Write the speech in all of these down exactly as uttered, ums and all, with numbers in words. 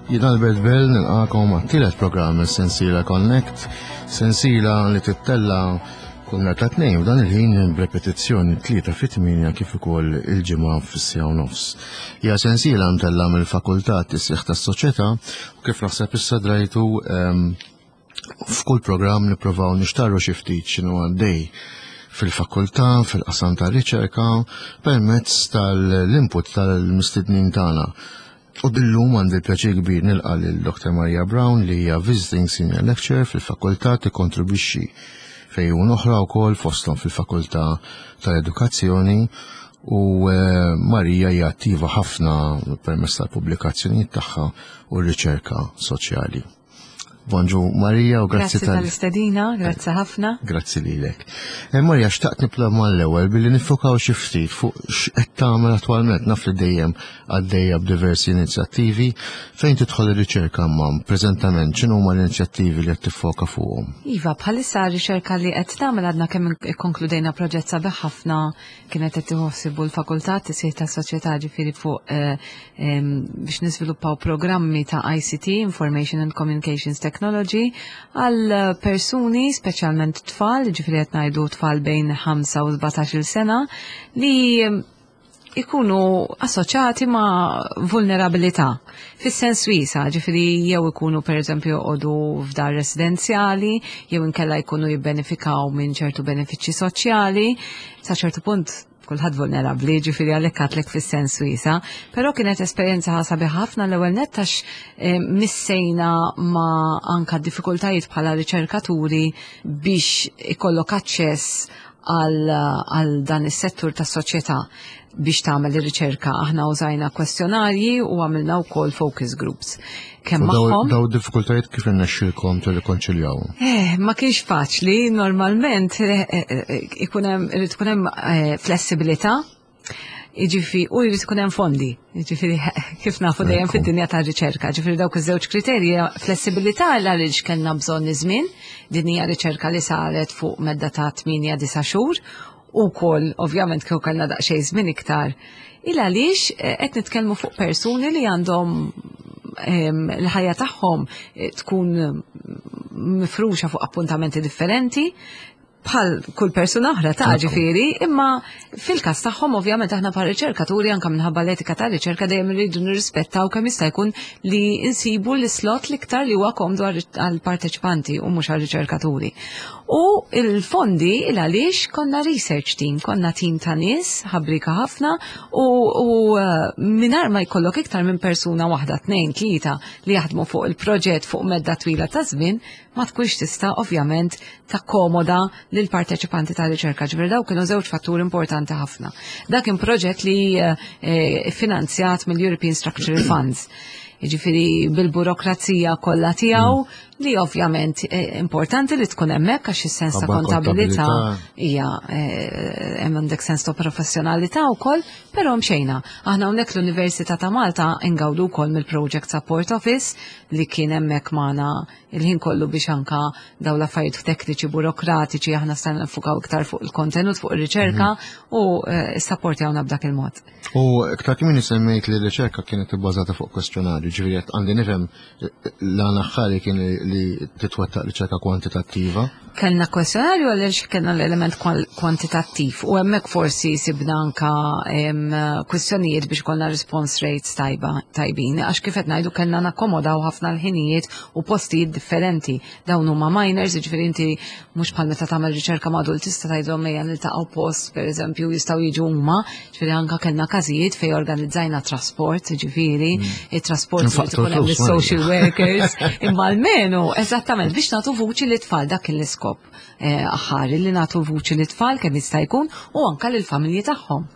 Jien Albert Bell nilqakom għat-tielet programm sensiela Connect, sensiela li tittella kull nhar ta' tnejn f'dan il-ħin b'repetizzjoni tlieta fit-tmienja kif ukoll il-ġimgħa fis-siegħa u nofs. Hija sensiela mtella mill-Fakultà Tisħiħ tas-Soċjetà u kif naħseb issa drajtu ehm, f'kull programm nippruvaw nixtarru xi ftit x'inhu għaddej fil-fakultà, fil-qasam ta' riċerka, permezz tal-input tal-mistednin tagħna. U illum għandi l-pjaċir kbir nilqa' lil Dr. Maria Brown li hija Visiting Senior Lecturer fil-fakultà tikkontribwixxi fejn oħra wkoll fosthom fil-fakultà tal-Edukazzjoni u eh, Marija hija attiva ħafna permezz tal-pubblikazzjonijiet tagħha u r-riċerka soċjali. Bonġu Marija u grazzi Grazzi tal-istedina, grazzi ħafna. Grazzi lilek. Eh, Marija, xtaqt nibda mal-ewwel billi niffukaw xi ftit fuq x'qed tagħmel attwalment naf li dejjem għaddejja b'diversi inizjattivi fejn tidħol ir-riċerka imma preżentament x'inhu huma l-inizjattivi li qed tiffoka fuqhom. Iva, bħalissa riċerka li qed nagħmel għadna kemm ikkonkludejna proġett sabiħ ħafna kienet qed tieħu l-fakultà tisħiħ tas-soċjetà ġifieri fuq eh, em, biex niżviluppaw programmi ta' ICT, Information and Communications Technology, għal persuni, speċjalment tfal, ġifieri qed ngħidu tfal bejn ħamsa u sbatax-il sena, li ikunu assoċjati ma' vulnerabilità. Fis-sens wiesa', ġifieri jew ikunu per eżempju joqogħdu f'dar residenzjali, jew inkella jkunu jibbenefikaw minn ċertu benefiċċji soċjali, sa ċertu punt kulħadd vulnerabbli, ġifieri għalhekk għedtlek fis-sens wiesa', però kienet esperjenza sabiħa ħafna l-ewwel nett għax eh, missejna ma' anka diffikultajiet bħala riċerkaturi biex ikollok aċċess għal, għal dan is-settur tas-soċjetà biex tagħmel ir-riċerka. Aħna użajna kwestjonarji u għamilna wkoll focus groups. Kemm U daw, magħhom daw diffikultajiet kif irnexxielkom tirrikonċiljaw? Eh, ma kienx faċli, normalment eh, eh, eh, ikun hemm irid ikun hemm eh, flessibilità, jiġifieri u jrid ikun hemm fondi, jiġifieri kif nafu dejjem Ekku. fid-dinja tar-riċerka, ġifieri dawk iż-żewġ kriterji flessibilità għaliex kellna bżonn iż-żmien, din hija riċerka li saret fuq medda ta' tmienja disa' xhur u wkoll ovvjament kieku kellna daqsxejn żmien iktar. Il għaliex eh, qed nitkellmu fuq persuni li għandhom em, l-ħajja tagħhom eh, tkun mifruxa fuq appuntamenti differenti bħal kull persuna oħra ta' Ekku. ġifieri, imma fil-każ tagħhom ovvjament aħna bħal riċerkaturi anke minħabba l-etika ta' riċerka dejjem irridu nirrispettaw kemm jista' jkun li nsibu l-slot l-iktar li huwa komdu għall-parteċipanti u mhux għall-riċerkaturi. U il-fondi il għaliex konna research team, konna team ta' nies ħabrika ħafna u, u eh, mingħajr ma jkollok iktar minn persuna waħda, tnejn, tlieta li jaħdmu fuq il-proġett fuq medda twila ta' żmien, ma tkunx tista' ovvjament takkomoda lil parteċipanti ta' riċerka. Ġifieri daw kienu żewġ fatturi importanti ħafna. Dak kien proġett li eh, eh, finanzjat mill-European Structural Funds. Ġifieri bil-burokrazija kollha tiegħu li ovvjament eh, importanti li tkun hemmhekk għax is-sens ta' Qabba kontabilità kontabilità. hija eh, hemm għandek sens ta' professjonalità wkoll, però mxejna. Aħna hawnhekk l-Università ta' Malta ingawdu wkoll mill-Project Support Office li kien hemmhekk magħna il-ħin kollu biex anka daw l-affarijiet tekniċi burokratiċi aħna stajna nfukaw iktar fuq il-kontenut, fuq ir-riċerka u eh, ssapportjawna b'dak il-mod. U iktar kmieni semmejt li r-riċerka kienet ibbażata fuq kwestjonarju, ġifieri qed għandi nifhem l-għan aħħari kien li li titwettaq riċerka kwantitattiva. Kellna kwestjonarju għaliex kellna l-element kwal- kwantitattiv u hemmhekk forsi sibna anka em, kwestjonijiet biex kollna response rates tajba tajbin għax kif qed ngħidu kellna nakkomodaw ħafna l-ħinijiet u postijiet differenti. Dawn huma minors, jiġifieri inti mhux bħal meta tagħmel riċerka ma' adult tista' tgħidhom ejja niltaqgħu post pereżempju jistgħu jiġu huma, ġifieri anka kellna każijiet fejn organizzajna trasport, ġifieri it-trasport irid Infaqtu ikun hemm l-flus, is-social Marija. workers, imma almenu, eżattament, biex nagħtu vuċi lit-tfal dak kien l-iskop eh, aħħari li nagħtu vuċi lit-tfal kemm jista' jkun u anka lill-familji tagħhom.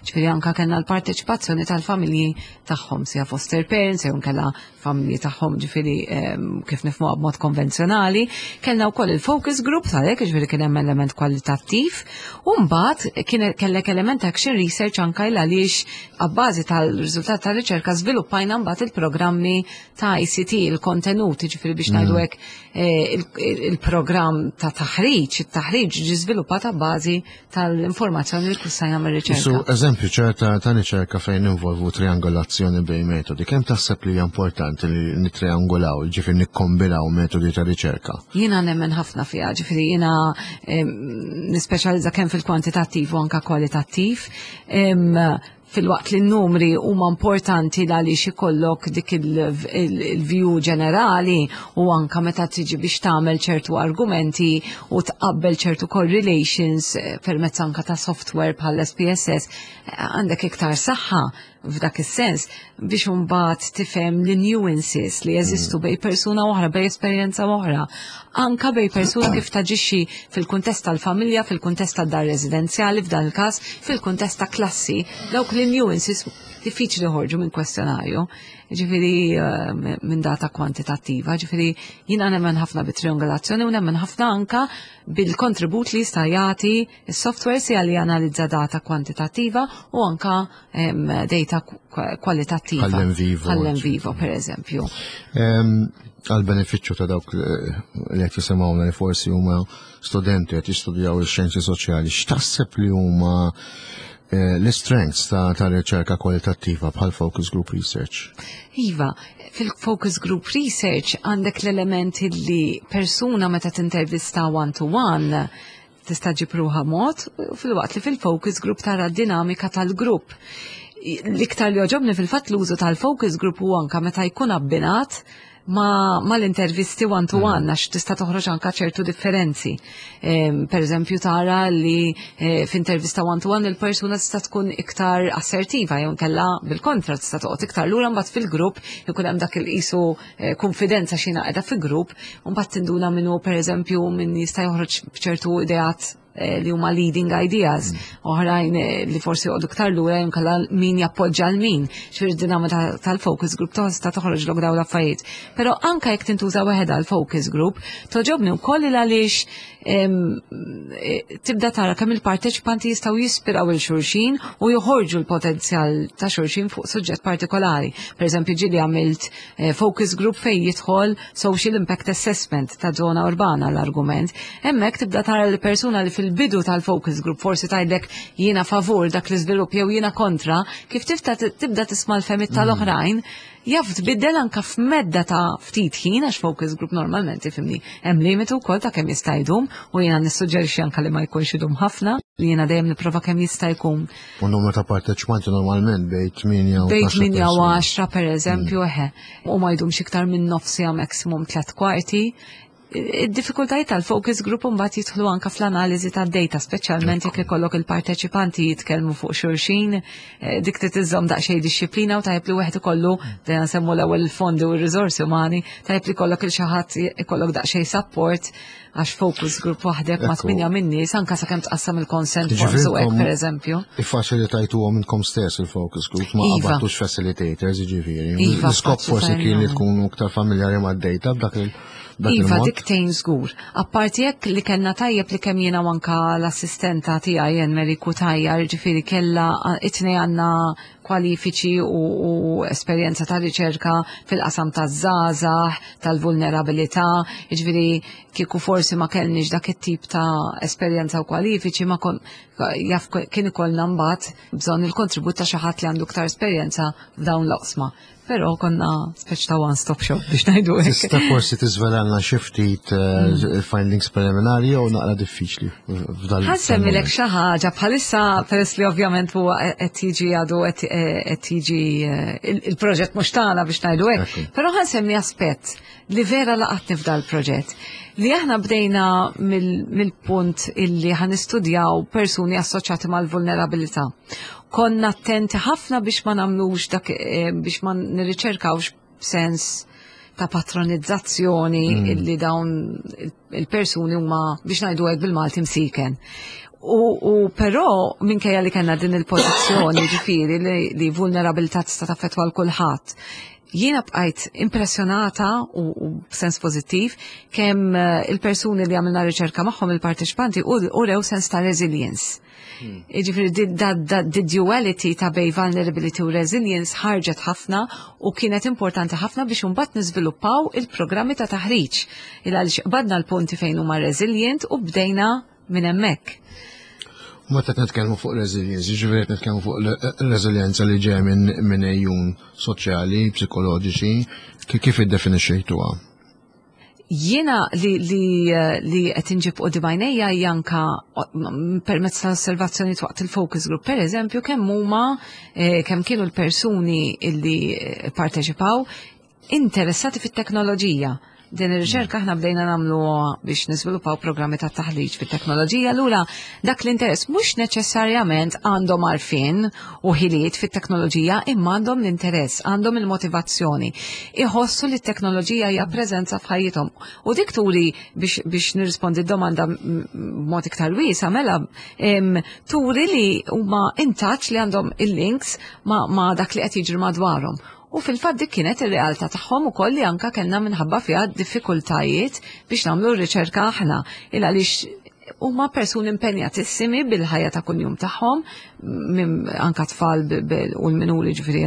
Ġifieri anka kellna l-parteċipazzjoni tal-familji tagħhom, sia foster parents, jew nkella familji tagħhom ġifieri ehm, kif nifhmuha b'mod konvenzjonali. Kellna wkoll il-focus group għalhekk ġifieri kien hemm element kwalitattiv u mbagħad kien kellek element action research anka il għaliex abbażi tal-riżultat tal-riċerka żviluppajna mbagħad il-programmi ta' ICT, il-kontenut, ġifieri biex ngħidu hekk eh, il- il-programm ta' taħriġ, it-taħriġ ġi żviluppat bażi tal-informazzjoni li ksibna mir-riċerka. Su eżempju ċerta ta' riċerka fejn involvu triangolazzjoni bejn metodi, kemm taħseb li hija importanti li nitriangolaw, ġifieri nikkombinaw metodi ta' riċerka? Jiena nemmen ħafna fiha, ġifieri jiena nispeċjalizza kemm fil-kwantitattiv u anka kwalitattiv. Filwaqt li n-numri huma importanti għaliex ikollok dik il-view ġenerali u anka meta tiġi biex tagħmel ċertu argumenti u tqabbel ċertu correlations eh, permezz anka ta' software bħal S P S S, eh, għandek iktar saħħa f'dak is-sens biex imbagħad tifhem li nuances li jeżistu bejn persuna oħra, bejn esperjenza oħra. Anka bejn persuna kif taġixxi fil-kuntest tal-familja, fil-kuntest tad-dar residenzjali, f'dan il-każ, fil-kuntest ta' klassi, dawk li nuances diffiċli joħorġu minn kwestjonarju, ġifieri eh, minn data kwantitattiva, ġifieri jiena nemmen ħafna bit-triangolazzjoni u nemmen ħafna anka bil-kontribut li jista' jagħti is-software sia li janalizza data kwantitattiva u anka em, data kwalitattiva. Bħall-NVivo. Bħall-NVivo, per eżempju. Għal benefiċċju ta' dawk li qed jisimgħuna li forsi huma studenti qed jistudjaw ix-xjenzi soċjali, x'taħseb li huma eh, l-strengths ta' ta' riċerka kwalitattiva bħal focus group research? Iva, fil-focus group research għandek l-elementi li persuna meta tintervista one-to-one tista' ġġib ruħha mod, filwaqt li fil-focus group tara d-dinamika tal-grupp. L-iktar li jogħġobni fil-fatt l-użu tal-focus group u anka meta jkun abbinat ma, ma l-intervisti one to one, għax tista' toħroġ anka ċertu differenzi. Em, per eżempju tara li eh, f'intervista one to one il-persuna tista' tkun iktar assertiva jew kella bil-kontra tista' toqgħod iktar lura, mbagħad fil-grupp ikun hemm dak il-qisu eh, konfidenza xina qiegħda fil-grupp u mbagħad tinduna minnu, per eżempju, min jista' joħroġ b'ċertu ideat eh, li huma leading ideas, oħrajn eh, li forsi joqogħdu iktar lura jew inkella min jappoġġa l min. Ġifieri dinamika tal-focus group tista' toħroġlok dawn l-affarijiet. Però anka jekk tintuża waħedha l-focus group, togħġobni wkoll għaliex em, eh, tibda tara kemm il-parteċipanti jistgħu jispiraw il xulxin u joħorġu l-potenzjal ta' xulxin fuq suġġett partikolari. Per eżempju, ġieli għamilt eh, focus group fejn jidħol social impact assessment ta' zona urbana l-argument. Hemmhekk tibda tara l-persuna li fil-bidu tal-focus group forsi tgħidlek jiena favur dak l-iżvilupp jew jiena kontra, kif tifta tibda tisma' l-fehmiet tal-oħrajn, jaf tbiddel anka f'medda ta' ftit ħin, għax focus group normalment, ifhimni, hemm limitu wkoll ta' kemm jista' jdum u jiena nissuġġerixxi anka li ma jkunx idum ħafna, li jiena dejjem nipprova kemm jista' jkun. U numru ta' parteċipanti normalment bejn tmienja u bejn tnax-il tmienja u persuna. għaxra per eżempju, eħe, u ma jdumx iktar minn nofs siegħa, maximum tliet kwarti. Id-diffikultajiet tal-focus group mbagħad jidħlu anka fl-analiżi tad-data, speċjalment jekk ikollok il-parteċipanti jitkellmu fuq xulxin, eh, dik trid iżżomm daqsxejn dixxiplina u tajjeb li wieħed ikollu, dejjem nsemmu l-ewwel il-fondi u r-riżorsi umani, tajjeb li jkollok il xi ħadd ikollok daqsxejn support, għax focus group waħdek ma' Ekku. tminja min-nies, anka sakemm tqassam il-consent forms u hekk, per eżempju. Iffaċilitajtuhom intkom stess il-focus group, ma Iva. qabadtux facilitators, ġifieri. Iva, L-iskop forsi kien li tkunu iktar familjari mad-data b'dak il- dak Iva, il-mod. dik tgħin żgur. Apparti jekk li kellna tajjeb li kemm jiena u anka l-assistenta tiegħi jen Mary Kutajja, ġifieri kellha it-tnejn għandna kwalifiċi u, u esperjenza ta' riċerka fil-qasam taż-żgħażagħ, tal-vulnerabilità, ġifieri kieku forsi ma kellniex dak it-tip ta' esperjenza u kwalifiċi ma kon jaf kien ikollna mbagħad bżonn il-kontribut ta' xi ħadd li għandu iktar esperjenza f'dawn l-oqsma. Però konna speċ ta' one-stop shop biex ngħidu hekk. Tista' forsi tiżvelalna xi ftit eh, findings preliminari jew naqra diffiċli f'dal? Ħa nsemmilek xi ħaġa bħalissa, peress li ovvjament huwa qed jiġi għadu qed qed jiġi eh, il- il-proġett mhux tagħna biex ngħidu hekk. Ekku. Però ħa nsemmi aspett li vera laqatni f'dal proġett. Li aħna bdejna mill- mill-punt illi ħa nistudjaw persuni assoċjati mal-vulnerabilità. Konna attenti ħafna biex ma nagħmlux dak eh, biex ma nirriċerkawx b'sens ta' patronizzazzjoni mm. illi dawn il-persuni huma, biex ngħidu hekk bil-Malti, msiken. U, u però minkejja li kellna din il-pożizzjoni, ġifieri li, li vulnerabilità tista' taffettwa l kulħadd, Jiena bqajt impressjonata u, u b'sens pożittiv kemm eh, il-persuni li għamilna riċerka magħhom, il-parteċipanti, urew sens ta' resilience. Jiġifieri di duality ta' bejn vulnerability u resilience ħarġet ħafna u kienet importanti ħafna biex imbagħad niżviluppaw il-programmi ta' taħriġ. Il għaliex qbadna l-punti fejn huma resilient u bdejna minn hemmhekk. Meta nitkellmu fuq resilience, jiġifieri qed nitkellmu fuq resilienza li ġej minn minn ejjun soċjali, psikoloġiċi, kif iddefinixxejtuha? Jiena li li li qed inġib quddiem għajnejja hija anka permezz ta' osservazzjoni waqt il-focus group, per eżempju, kemm huma eh, kemm kienu l-persuni illi eh, parteċipaw interessati fit-teknoloġija. Din ir-riċerka aħna bdejna nagħmlu biex niżviluppaw programmi ta' taħriġ fit-teknoloġija, lura dak l-interess mhux neċessarjament għandhom għarfien u ħiliet fit-teknoloġija, imma għandhom l-interess, għandhom il-motivazzjoni. Iħossu li t-teknoloġija hija preżenza f'ħajjithom. U dik turi biex, biex nirrispondi d-domanda b'mod iktar wiesa, mela em, turi li huma in touch, li għandhom il-links ma, ma dak li qed jiġri madwarhom. U fil-fatt dik kienet ir-realtà tagħhom ukoll li anka kellna minħabba fiha diffikultajiet biex nagħmlu r-riċerka aħna. Il għaliex huma persuni impenjatissimi bil-ħajja ta' kuljum tagħhom, anka tfal u l-minuri, ġifieri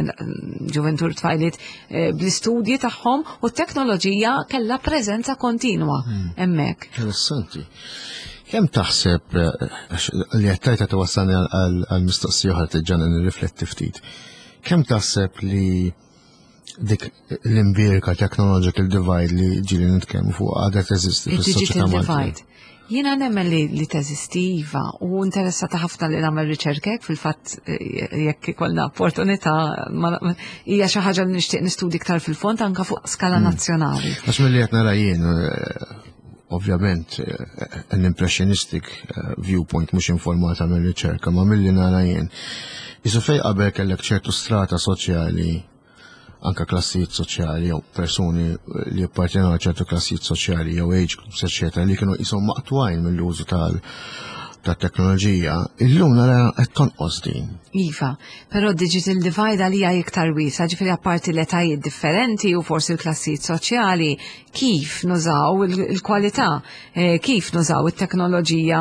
ġuventur, tfajliet, eh, bl-istudji tagħhom, u t-teknoloġija kellha preżenza kontinwa hmm. hemmhekk. Interessanti. Kemm taħseb eh, li qed tgħid twassalni għal mistoqsija oħra tiġġana nirrifletti ftit. Kemm taħseb li dik l-imbierka technological divide li ġieli nitkellmu fuq għadha teżisti fis-soċjetà Maltija? Jiena nemmen li, li teżisti, iva, u interessata ħafna li nagħmel riċerkek fil-fatt eh, jekk ikollna opportunità, hija xi ħaġa li nixtieq nistudi iktar fil-fond anka fuq skala hmm. nazzjonali. Għax milli qed nara jien, eh, ovvjament eh, an impressionistic viewpoint mhux informata mill-riċerka, ma milli nara jien, Isu fej qabel kellek ċertu strata soċjali, anka klassijiet soċjali jew persuni li appartjenu għal ċertu klassijiet soċjali jew age groups, eċetera, li kienu jisom maqtugħin mill-użu tal tat-teknoloġija, illum nara qed tonqos din. Iva, però digital divide għalija iktar wiesa, ġifieri apparti l-etajiet differenti u forsi l-klassijiet soċjali, kif nużaw il-kwalità, eh, kif nużaw it-teknoloġija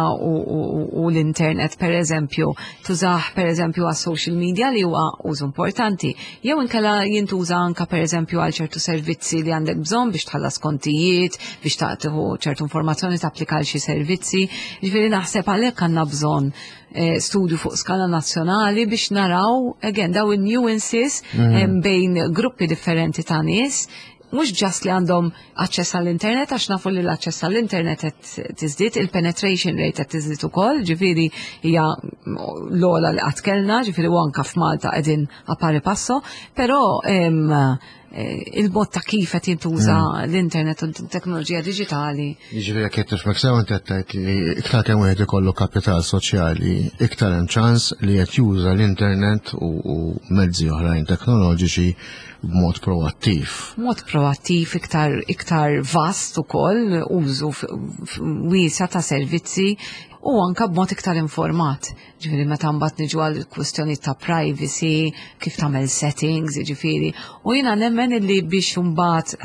u l-internet, per eżempju, tużah per eżempju għas social media li huwa użu importanti, jew inkella jintuża anka per eżempju għal ċertu servizzi li għandek bżonn biex tħallas kontijiet, biex tagħtiħu ċertu informazzjoni, tapplika għal xi servizzi. Ġifieri naħseb għalhekk għandna bżonn eh, studju fuq skala nazzjonali biex naraw again daw il-nuances mm. bejn gruppi differenti ta' nies, mhux just li għandhom aċċess għall-internet, għax nafu li l-aċċess għall-internet qed tiżdied, il-penetration rate qed tiżdied ukoll, ġifieri hija l-ogħla li qatt kellna, ġifieri u anka f'Malta qegħdin a pari passo, però eh, il-mod ta' kif qed jintuża mm. l-internet u t-teknoloġija diġitali. Jiġifieri jekk qed nifhmek sew, inti qed tgħid li iktar kemm wieħed ikollu kapital soċjali, iktar hemm ċans li qed juża l-internet u mezzi oħrajn teknoloġiċi b'mod proattiv. Mod proattiv, iktar iktar vast ukoll, użu wiesa ta' servizzi u anka b'mod iktar informat. Ġifieri meta mbagħad niġu għal kwistjoni ta' privacy, kif tagħmel settings, ġifieri. U jiena nemmen illi biex imbagħad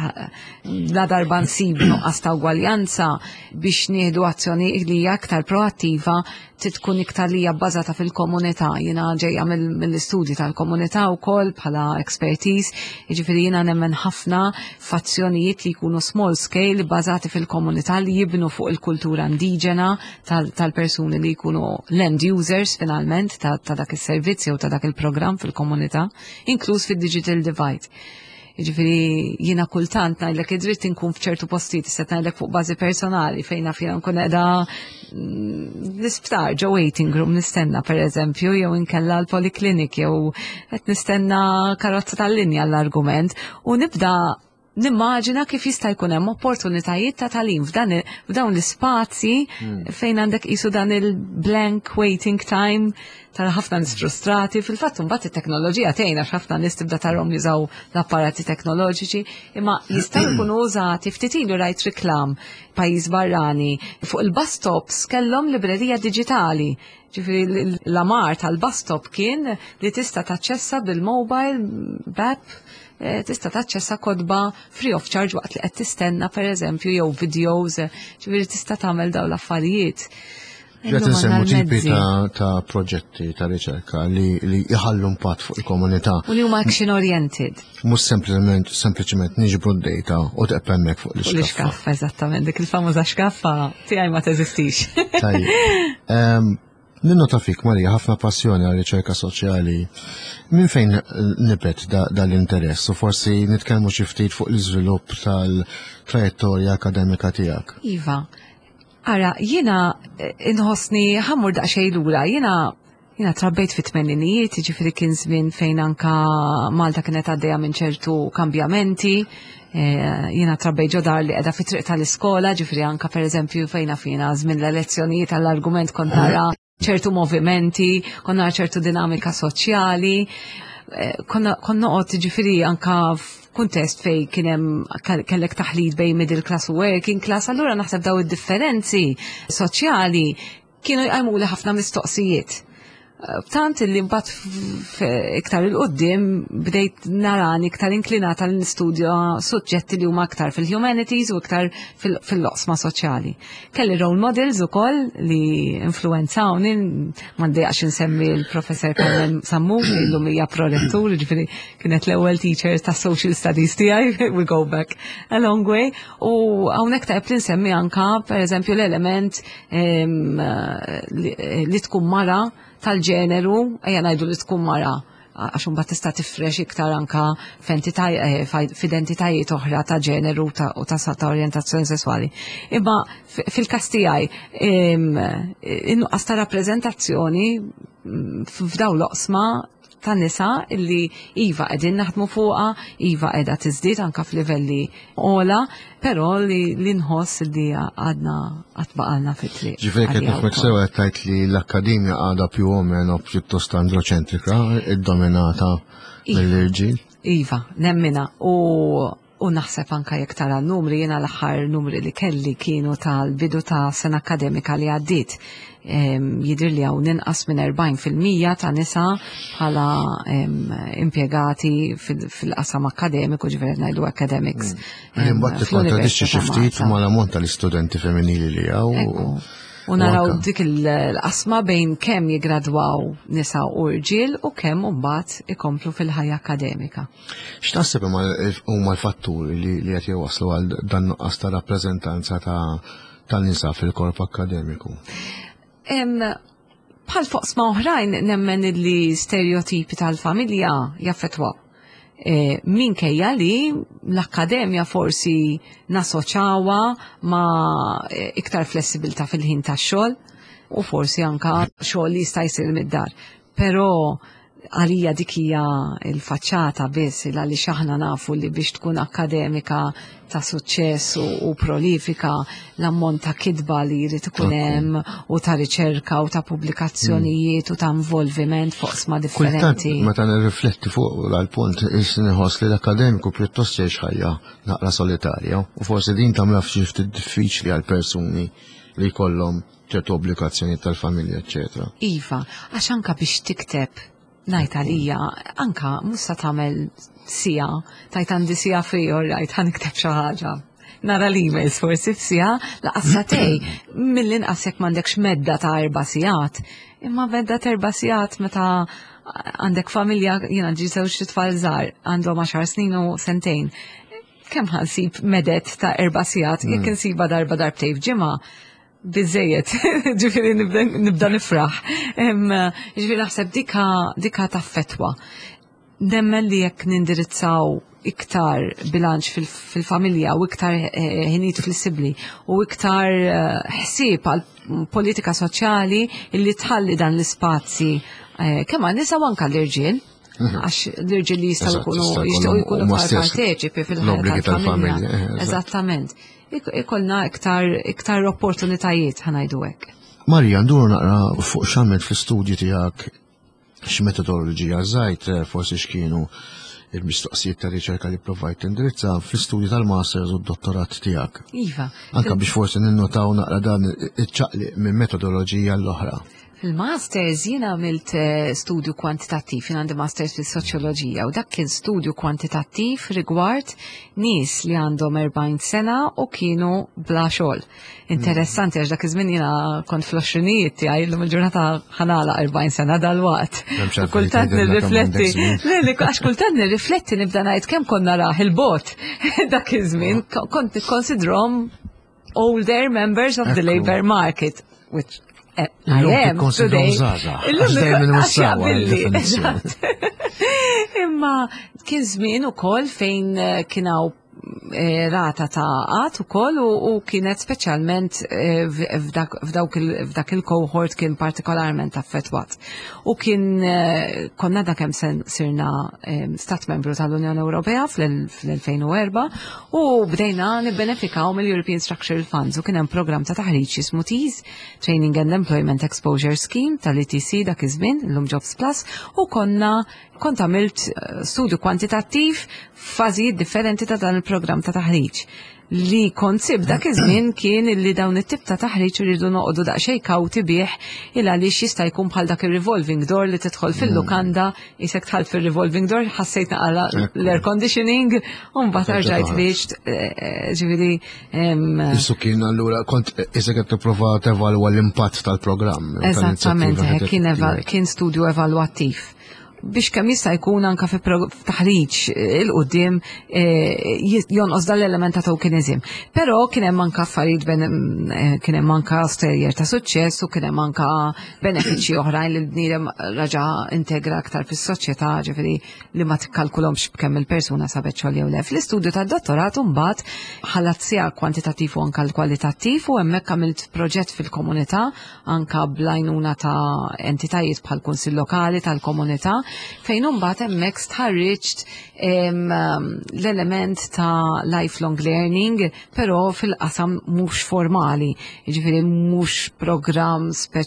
la darba nsib nuqqas ta' ugwaljanza, biex nieħdu azzjoni li hija aktar proattiva tkun iktar li hija bbażata fil-komunità. Jiena ġejja mill-istudji tal-komunità wkoll bħala expertise, jiġifieri jiena nemmen ħafna f'azzjonijiet li jkunu small scale, bbażati fil-komunità, li jibnu fuq il-kultura indiġena tal-persuni li jkunu l-end users finalment ta', ta dak is-servizz jew ta' dak il-programm fil-komunità, inkluż fid-digital divide. Ġifieri jiena kultant ngħidlek id-dritt inkun f'ċertu postijiet, se ngħidlek fuq bażi personali, fejn naf jiena nkun qiegħda mm, l-isptar ġo waiting room nistenna, per eżempju, jew inkella l-poliklinik, jew qed nistenna karozza tal-linja, l-argument, u nibda nimmaġina kif jista' jkun hemm opportunitajiet ta' tagħlim f'dan f'dawn l-ispazji hmm. fejn għandek qisu dan il-blank waiting time, tara ħafna nies frustrati. Fil-fatt mbagħad it-teknoloġija tgħinna għax ħafna nies tibda tarahom jużaw l-apparati teknoloġiċi, imma jistgħu jkunu użati. Ftit ilu rajt riklam pajjiż barrani, fuq il-bus stops kellhom librerija diġitali. Ġifieri l-amar tal-bus stop kien li tista' taċċessa bil-mobile app. eh, tista' taċċessa kotba free of charge waqt li qed tistenna, pereżempju, jew videos, ġifieri tista' tagħmel dawn l-affarijiet. Qed insemmu tipi ta', ta proġetti ta' riċerka li, li jħallu impatt fuq il-komunità. U li huma action oriented. Mhux sempliċement sempliċement niġbru d-data u teqpa' hemmhekk fuq l-iskaffa. L-iskaffa, eżattament, dik il-famuża xkaffa tiegħi ma teżistix. Tajjeb. Ninnota fik, Marija, ħafna passjoni għal riċerka soċjali. Minn fejn nibet dal-interess? U forsi nitkellmu xi ftit fuq l-iżvilupp tal-trajettorja akademika tiegħek. Iva. Ara, jiena eh, inħossni ħa mmur daqsxejn lura, jiena jiena trabbejt fit-tmeninijiet, ġifieri kien żmien fejn anka Malta kienet għaddejja minn ċertu kambjamenti. Eh, jiena trabbejt ġo dar li qiegħda fi triq tal-iskola, ġifieri anka, pereżempju, fejna fina żmien l-elezzjonijiet għall-argument kont nara ċertu movimenti, konna ċertu dinamika soċjali, eh, konna noqgħod, ġifieri anka f'kuntest fej kien hemm kellek taħlit bejn middle class u working class, allura naħseb daw id-differenzi soċjali kienu jqajmu li ħafna mistoqsijiet. Tant li mbagħad iktar 'il quddiem bdejt narani iktar inklinata li nistudja suġġetti li huma iktar fil-humanities u iktar fil-oqsma soċjali. Kelli role models ukoll li influenzawni, m'għandix insemmi l-professor Carmen Sammut, li llum hija prorettur, ġifieri kienet l-ewwel teacher ta' social studies tiegħi, we go back a long way. U hawnhekk tajb li nsemmi anka, pereżempju, l-element li tkun mara tal-ġeneru, ejja ngħidu li tkun mara, għax imbagħad tista' tifrex iktar anka eh, f'identitajiet oħra ta' ġeneru u ta' ta' orjentazzjoni sesswali. Imma fil-każ tiegħi in-nuqqas ta' rappreżentazzjoni mm, f'daw l-oqsma ta' nisa illi iva qegħdin naħdmu fuqha, iva qiegħda tiżdied anka f'livelli ogħla, però li, li nħoss li għadna għad baqgħalna fit-triq. Ġifieri qed nifhmek sew, qed tgħid li l-akkademja għadha più o meno pjuttost androċentrika, iddominata mill-irġiel. Iva, nemmina. U U naħseb anka jekk tara n-numri, jiena l-aħħar numri li kelli kienu tal-bidu ta' sena akademika li għaddiet. Jidher li hawn inqas minn erbgħin fil-mija ta' nisa bħala impjegati fil-qasam akademiku, ġifieri ngħidu academics. Mm. Imbagħad tikkontradixxi xi ftit mal-ammont tal-istudenti femminili li hawn. U naraw dik il-qasma bejn kemm jigradwaw nisa u rġiel u kemm mbagħad ikomplu fil-ħajja akademika. X'taħseb huma l-fatturi li qed jwaslu għal dan nuqqas ta' rappreżentanza ta' tan-nisa fil-korp akademiku? Bħal f'oqsma oħrajn, nemmen li stereotipi tal-familja jaffetwaw. E, minkejja li l-akkademja forsi nassoċjawha ma' e, iktar flessibilità fil-ħin tax-xogħol u forsi anka xogħol li jista' jsir mid-dar. Però għalija dik hija il-faċċata biss, għaliex aħna nafu li biex tkun akademika ta' suċċess u, u prolifika, l-ammont ta' kitba li jrid ikun hemm u ta' riċerka u ta' pubblikazzjonijiet u ta' involviment f'oqsma differenti. Meta nirrifletti fuq dal-punt, inħoss li l-akademiku pjuttost jgħix ħajja naqra solitarja u forsi din tagħmilha ftit diffiċli għal persuni li jkollhom ċertu obbligazzjoni tal-familja, eċċetera. Iva, għax anka biex tikteb, ngħid għalija, anka mhux sa tagħmel siegħa, tgħid għandi siegħa free, all right, ħa nikteb xi ħaġa. Nara l-emails forsi f'siegħa, lanqas sagħtejn, mill-inqas jekk m'għandekx medda ta' erba' sigħat. Imma medda ta' erba' sigħat meta għandek familja, jiena għandi żewġ tfal żgħar, għandhom għaxar snin u sentejn. Kemm ħa nsib meded ta' erba' sigħat, jekk insiba darba, darbtejn f'ġimgħa, biżżejjed, ġifieri nibda nifraħ. Ġifieri naħseb dika, dika taffetwa. Nemmen li jekk nindirizzaw iktar bilanċ fil-familja u iktar eh, ħinijiet flessibbli u iktar eh, ħsieb għal politika soċjali illi tħalli dan l-ispazji eh, kemm għan-nisa u anka l-irġiel, mhm. għax l-irġiel li jistgħu jkunu jistgħu jkunu parteċipi fil-ħajja tal-familja. Eżattament, ikollna iktar iktar opportunitajiet, ħa ngħidu hekk. Marija, nduru naqra fuq x'għamilt fl-istudji tiegħek, x'metodoloġija użajt, eh, forsi x'kienu il-mistoqsijiet ta' riċerka li provajt tindirizza fl-istudji tal-masters u d-dottorat tiegħek. Iva. Anka biex forsi ninnotaw naqra dan iċ-ċaqliq minn metodoloġija l-oħra. Fil-masters jiena għamilt eh, studju kwantitattiv, jien għandi masters fil-soċjoloġija u dak kien studju kwantitattiv rigward nies li għandhom erbgħin sena u kienu bla xogħol. Interessanti għax dak iż-żmien jiena kont fl-għoxrinijiet tiegħi, illum il-ġurnata ħa nagħlaq erbgħin sena dal-waqt. M'hemmx U għalfejn kultant tgħidilna kemm nirrifletti, għandek żmien. le, le, għax kultant nirrifletti nibda ngħid kemm konna raħ il-bot dak iż-żmien, kont nikkonsidrhom older members of the Ekku. labor market, which eh, I Illum am tikkonsidrhom today. żgħażagħ, Illum għax dejjem għax inwessawha jaqbilli, l-definizzjoni. eżatt. Imma kien żmien ukoll fejn eh, kien hawn eh, rata ta' qgħad ukoll u, u kienet speċjalment eh, f'dak f'dawk il- f'dak il-cohort kien partikolarment affettwat. U kien eh, konna da kemm sen sirna eh, stat membru tal-Unjoni Ewropea fl-elfejn u erbgħa u bdejna nibbenefikaw mill-European Structural Funds u kien hemm program ta' taħriġ jismu TEAS, Training and Employment Exposure Scheme tal-E T C dak iż-żmien, illum Jobs Plus, u konna kont għamilt eh, studju kwantitattiv f'fażijiet differenti ta' dan il-programm ta' taħriġ. Li kont sib dak iż-żmien kien illi dawn it-tip ta' taħriġ iridu noqogħdu daqsxejn kawti bih, il għaliex jista' jkun bħal dak ir-revolving door li tidħol fil-lukanda, isek dħalt fil-revolving door, ħassejt naqala Ekku. l-air conditioning u mbagħad Terġa' rġajt toħroġ. ħriġt, eh, ġifieri em, Issu kien allura kont isek qed tipprova tevalwa l-impatt tal-programm. Eżattament, tal-inizjattiva eh, kien, eva- qed kien studju evalwattiv biex kemm jista' jkun anka fi pro- taħriġ eh, il-qudiem eh, jis- jonqos dal-element ta' tokenism. Però kien hemm anka affarijiet ben- eh, kien hemm anka stejjer ta' suċċess u kien hemm anka benefiċċji oħrajn li l-bniedem raġa integra aktar fis-soċjetà, ġifieri li ma tikkalkulhomx b'kemm il-persuna sabet xogħol jew le. Fl-istudju tad-dottorat mbagħad ħallat sija kwantitattiv u anka l-kwalitattiv u hemmhekk għamilt proġett fil-komunità anka bl-għajnuna ta' entitajiet bħal kunsill lokali tal-komunità, fejn imbagħad hemmhekk stħarriġt em, l-element ta' lifelong learning, però fil-qasam mhux formali, jiġifieri mhux programm spe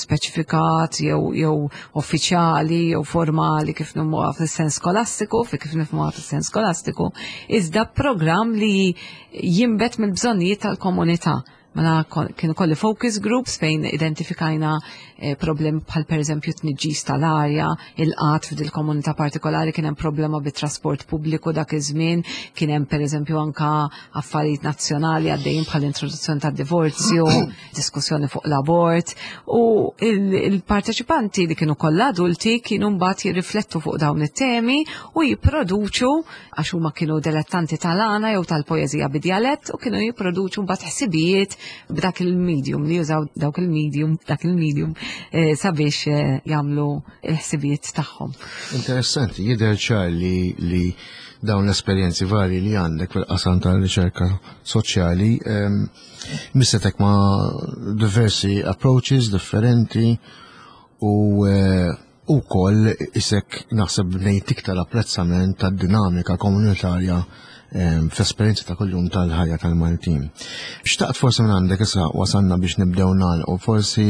speċifikat jew jew uffiċjali jew formali kif nifhmuha fis-sens skolastiku, fi kif nifhmuha fis-sens skolastiku, iżda programm li jinbet mill-bżonnijiet tal-komunità. Mela kon- kienu kolli focus groups fejn identifikajna eh, problemi bħal per eżempju tniġġis tal-arja, il-qgħad f'dil komunità partikolari, kien hemm problema bit-trasport pubbliku dak iż-żmien, kien hemm per eżempju anka affarijiet nazzjonali għaddejjin bħal introduzzjoni tad-divorzju, diskussjoni fuq l-abort, u il- il-parteċipanti li kienu kollha adulti kienu mbagħad jirriflettu fuq dawn it-temi u jipproduċu, għax huma kienu dilettanti tal-għana jew tal-poeżija bid-djalett, u kienu jipproduċu mbagħad ħsibijiet b'dak il-medium li jużaw dawk il-medium dak il-medium eh, sabiex eh, jagħmlu il-ħsibijiet tagħhom. Interessanti, jidher ċar li, li dawn l-esperjenzi vari li għandek fil-qasam tal-riċerka soċjali em, missetek ma' diversi approaches differenti u eh, u koll isek naħseb bnejt iktar apprezzament tad-dinamika komunitarja em, fl-esperjenza ta' kuljum tal-ħajja tal-Maltin. Xtaqt forsi minn għandek, issa wasanna biex nibdew nagħlqu, forsi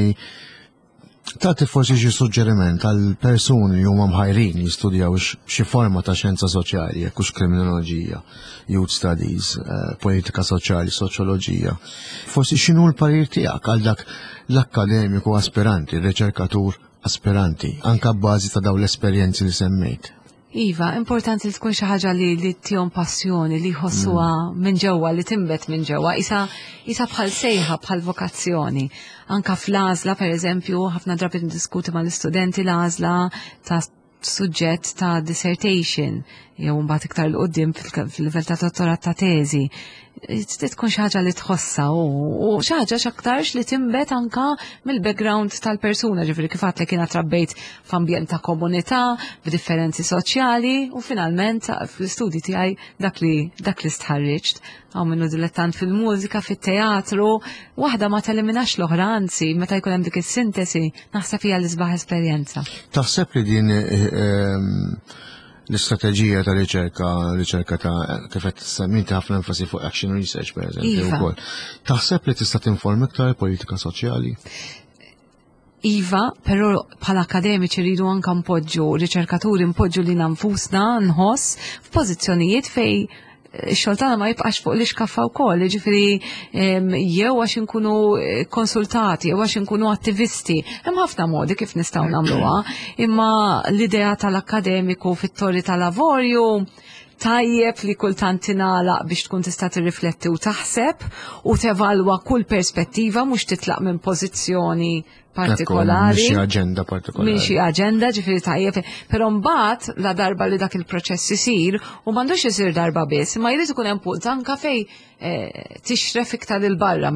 tagħti forsi xi suġġeriment għal persuni li huma mħajrin jistudjaw x- xi forma ta' xjenza soċjali, jekk hux kriminoloġija, youth studies, eh, politika soċjali, soċjoloġija. Forsi x'inhu l-parir tiegħek għal dak l-akkademiku aspiranti, il-riċerkatur aspiranti, anka bbażi ta' dawn l-esperjenzi li semmejt? Iva, importanti li tkun xi ħaġa li li tihom passjoni, li jħossuha minn ġewwa, li tinbet minn ġewwa, isa isa bħal sejħa, bħal vokazzjoni. Anka fl-għażla, per eżempju, ħafna drabi ndiskuti mal-istudenti l-għażla ta' suġġett ta' dissertation, jew mbagħad iktar 'l quddiem fil-livell ta' dottorat ta' teżi. Trid tkun xi ħaġa li tħossa u u xi ħaġa x'aktarx li tinbet anka mill-background tal-persuna, ġifieri kif għedtlek, jiena trabbejt f'ambjent ta' komunità, b'differenzi soċjali u finalment fl-istudji tiegħi dak li dak li stħarriġt. Hawn minnu dilettant fil-mużika, fit-teatru, waħda ma teliminax l-oħra, anzi, meta jkun hemm dik is-sintesi, naħseb hija l-isbaħ esperjenza. Taħseb li din eh, ehm, l-istrateġija ta' riċerka, riċerka ta' kif qed semmejti ħafna enfasi fuq action research, per eżempju, Iva. wkoll. Taħseb li tista' tinforma iktar politika soċjali? Iva, però bħala akademiċi rridu anka npoġġu, riċerkaturi npoġġu lilna nfusna, nħoss f'pożizzjonijiet fej Ix-xogħol tagħna ma jibqax fuq l-iskaffa wkoll, jiġifieri jew għax inkunu eh, konsultati, jew għax inkunu attivisti. Hemm ħafna modi kif nistgħu nagħmluha, imma l-idea tal-akkademiku fit-torri tal-avorju tajjeb li kultant tingħalaq biex tkun tista' tirrifletti u taħseb u tevalwa kull perspettiva, mhux titlaq minn pożizzjoni partikolari. Minn xi aġenda partikolari. Minn xi aġenda, ġifieri tajjeb. Però mbagħad la darba li dak il-proċess isir, u m'għandux isir darba biss, imma jrid ikun hemm punt anka fej eh, tixref iktar 'il barra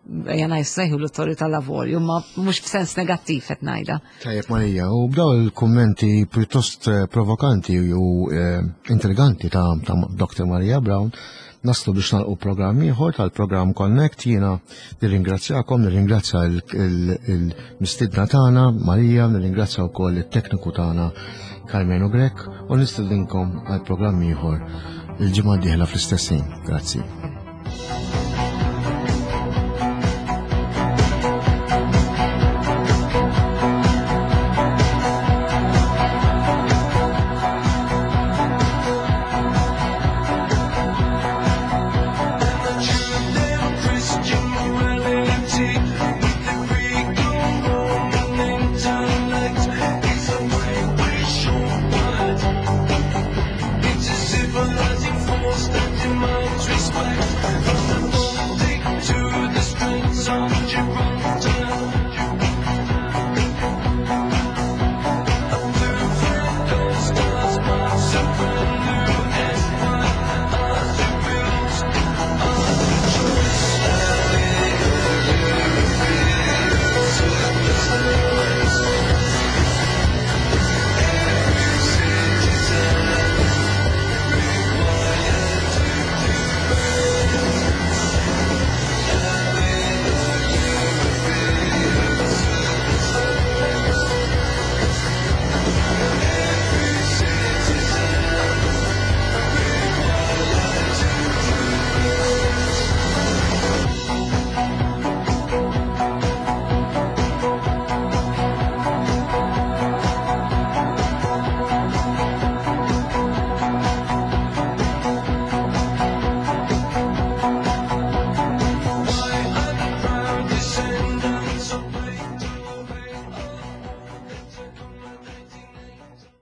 jana jissejħu l-torri tal-avorju, ma mhux f'sens negattiv qed ngħidha. Tajjeb, Marija, u b'daw il-kummenti pjuttost eh, provokanti u eh, intriganti ta', ta Doktor Maria Brown, naslu biex nagħlqu programm ieħor tal-programm Connect. Jiena nirringrazzjakom, nirringrazzja il-mistidna tagħna Marija, nirringrazzja wkoll it-tekniku tagħna Carmenu Grech u nistedinkom għal programm ieħor il-ġimgħa d-dieħla fl-istess ħin. Grazzi.